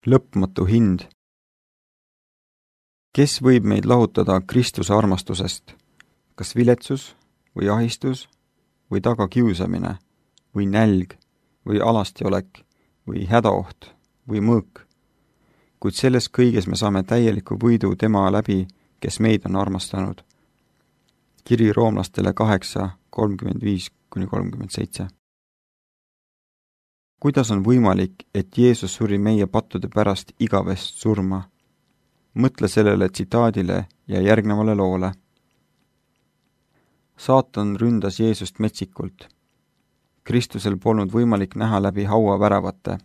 lõpmatu hind. Kes võib meid lahutada Kristuse armastusest? Kas viletsus või ahistus või tagakiusamine või nälg või alastiolek või hädaoht või mõõk? Kuid selles kõiges me saame täieliku võidu tema läbi, kes meid on armastanud. Kiri roomlastele 8:35-37. Kuidas on võimalik, et Jeesus suri meie pattude pärast igavest surma? Mõtle sellele tsitaadile ja järgnevale loole. Saatan ründas Jeesust metsikult. Kristusel polnud võimalik näha läbi hauaväravate.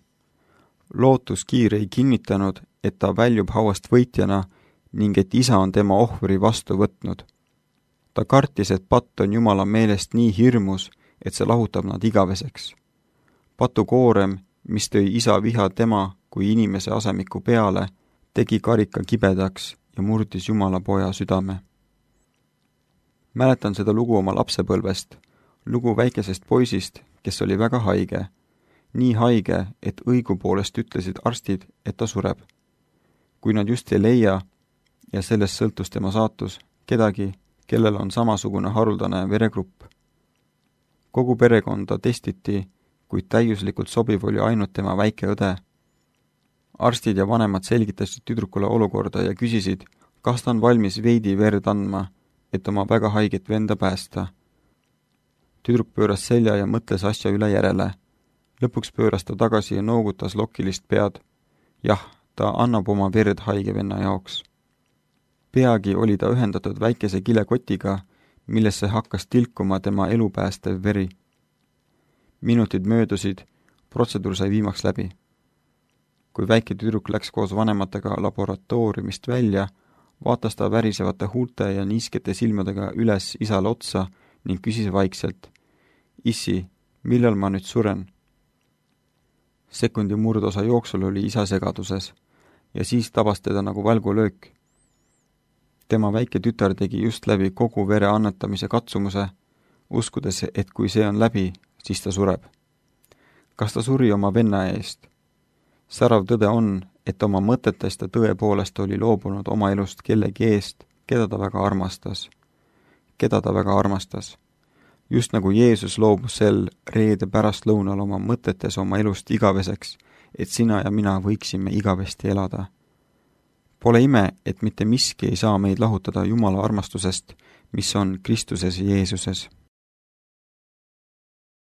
Lootuskiir ei kinnitanud, et ta väljub hauast võitjana ning et isa on tema ohvri vastu võtnud. Ta kartis, et patt on Jumala meelest nii hirmus, et see lahutab nad igaveseks. Patu koorem, mis tõi isa viha tema kui inimese asemiku peale, tegi karika kibedaks ja murdis Jumala poja südame. Mäletan seda lugu oma lapsepõlvest, lugu väikesest poisist, kes oli väga haige. Nii haige, et õigupoolest ütlesid arstid, et ta sureb. Kui nad just ei leia, ja sellest sõltus tema saatus, kedagi, kellel on samasugune haruldane veregrupp. Kogu perekonda testiti, kuid täiuslikult sobiv oli ainult tema väike õde. Arstid ja vanemad selgitasid tüdrukule olukorda ja küsisid, kas ta on valmis veidi verd andma, et oma väga haiget venda päästa. Tüdruk pööras selja ja mõtles asja üle järele. Lõpuks pööras ta tagasi ja noogutas lokilist pead. Jah, ta annab oma verd haige venna jaoks. Peagi oli ta ühendatud väikese kilekotiga, millesse hakkas tilkuma tema elupäästev veri. Minutid möödusid, protseduur sai viimaks läbi. Kui väike tüdruk läks koos vanematega laboratooriumist välja, vaatas ta värisevate huulte ja niiskete silmadega üles isale otsa ning küsis vaikselt, issi, millal ma nüüd suren? Sekundi murdosa jooksul oli isa segaduses ja siis tabas teda nagu välgulöök. Tema väike tütar tegi just läbi kogu vere annetamise katsumuse, uskudes, et kui see on läbi, siis ta sureb. Kas ta suri oma venna eest? Särav tõde on, et oma mõtetest ta tõepoolest oli loobunud oma elust kellegi eest, keda ta väga armastas. Just nagu Jeesus loobus sel reede pärastlõunal oma mõtetes oma elust igaveseks, et sina ja mina võiksime igavesti elada. Pole ime, et mitte miski ei saa meid lahutada Jumala armastusest, mis on Kristuses Jeesuses.